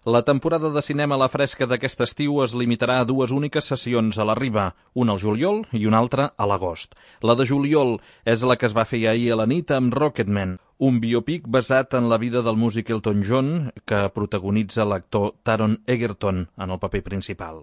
La temporada de cinema a la fresca d'aquest estiu es limitarà a dues úniques sessions a la Riba, una al juliol i una altra a l'agost. La de juliol és la que es va fer ahir a la nit amb Rocketman, un biòpic basat en la vida del músic Elton John que protagonitza l'actor Taron Egerton en el paper principal.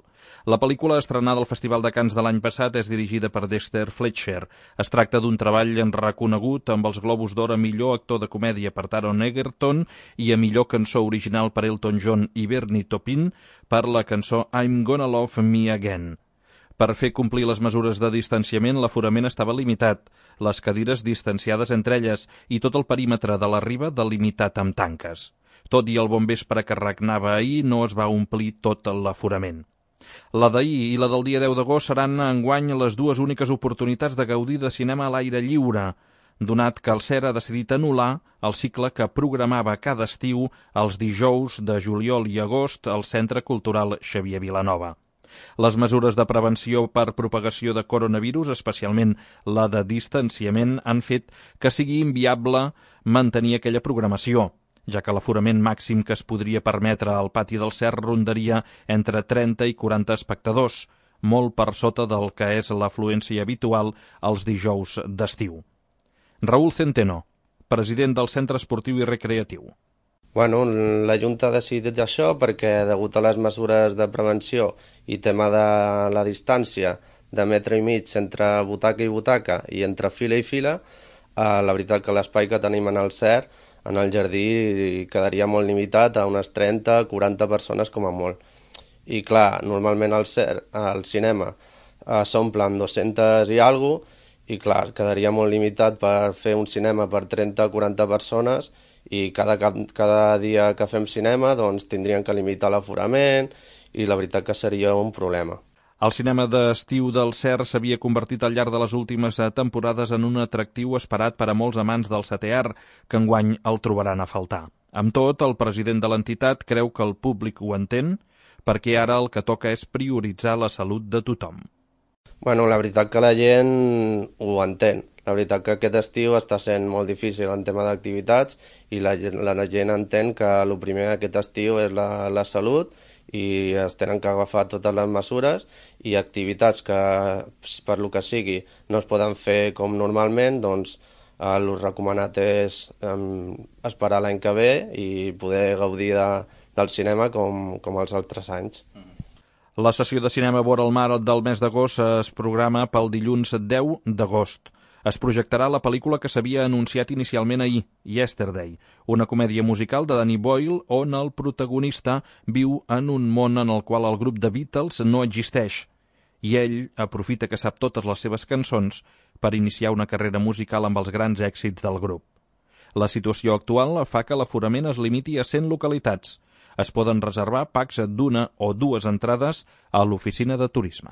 La pel·lícula estrenada al Festival de Cannes de l'any passat és dirigida per Dexter Fletcher. Es tracta d'un treball reconegut amb els Globus d'Or a millor actor de comèdia per Taron Egerton i a millor cançó original per Elton John i Bernie Taupin per la cançó I'm Gonna Love Me Again. Per fer complir les mesures de distanciament, l'aforament estava limitat, les cadires distanciades entre elles i tot el perímetre de la Riba delimitat amb tanques. Tot i el bon vespre que regnava ahir, no es va omplir tot l'aforament. La d'ahir i la del dia 10 d'agost seran enguany les dues úniques oportunitats de gaudir de cinema a l'aire lliure, donat que el CER ha decidit anul·lar el cicle que programava cada estiu els dijous de juliol i agost al Centre Cultural Xavier Vilanova. Les mesures de prevenció per propagació de coronavirus, especialment la de distanciament, han fet que sigui inviable mantenir aquella programació, ja que l'aforament màxim que es podria permetre al pati del CER rondaria entre 30 i 40 espectadors, molt per sota del que és l'afluència habitual els dijous d'estiu. Raúl Centeno, president del Centre Esportiu i Recreatiu. Bueno, la Junta ha decidit això perquè, degut a les mesures de prevenció i tema de la distància de metre i mig entre butaca i butaca i entre fila i fila, la veritat que l'espai que tenim en el CER, en el jardí, quedaria molt limitat a unes 30-40 persones com a molt. I clar, normalment al CER, al cinema, s'omple amb 200 i alguna cosa, i clar, quedaria molt limitat per fer un cinema per 30-40 persones i cada dia que fem cinema doncs tindrien que limitar l'aforament i la veritat que seria un problema. El cinema d'estiu del CER s'havia convertit al llarg de les últimes temporades en un atractiu esperat per a molts amants del setè art, que enguany el trobaran a faltar. Amb tot, el president de l'entitat creu que el públic ho entén, perquè ara el que toca és prioritzar la salut de tothom. Bueno, la veritat que la gent ho entén. La veritat que aquest estiu està sent molt difícil en tema d'activitats i la gent entén que el primer aquest estiu és la salut i es tenen que agafar totes les mesures i activitats que, per lo que sigui, no es poden fer com normalment, doncs el recomanat és esperar l'any que ve i poder gaudir del cinema com els altres anys. La sessió de cinema vora el mar del mes d'agost es programa pel dilluns 10 d'agost. Es projectarà la pel·lícula que s'havia anunciat inicialment ahir, Yesterday, una comèdia musical de Danny Boyle on el protagonista viu en un món en el qual el grup de Beatles no existeix i ell aprofita que sap totes les seves cançons per iniciar una carrera musical amb els grans èxits del grup. La situació actual fa que l'aforament es limiti a 100 localitats. Es poden reservar packs d'una o dues entrades a l'oficina de turisme.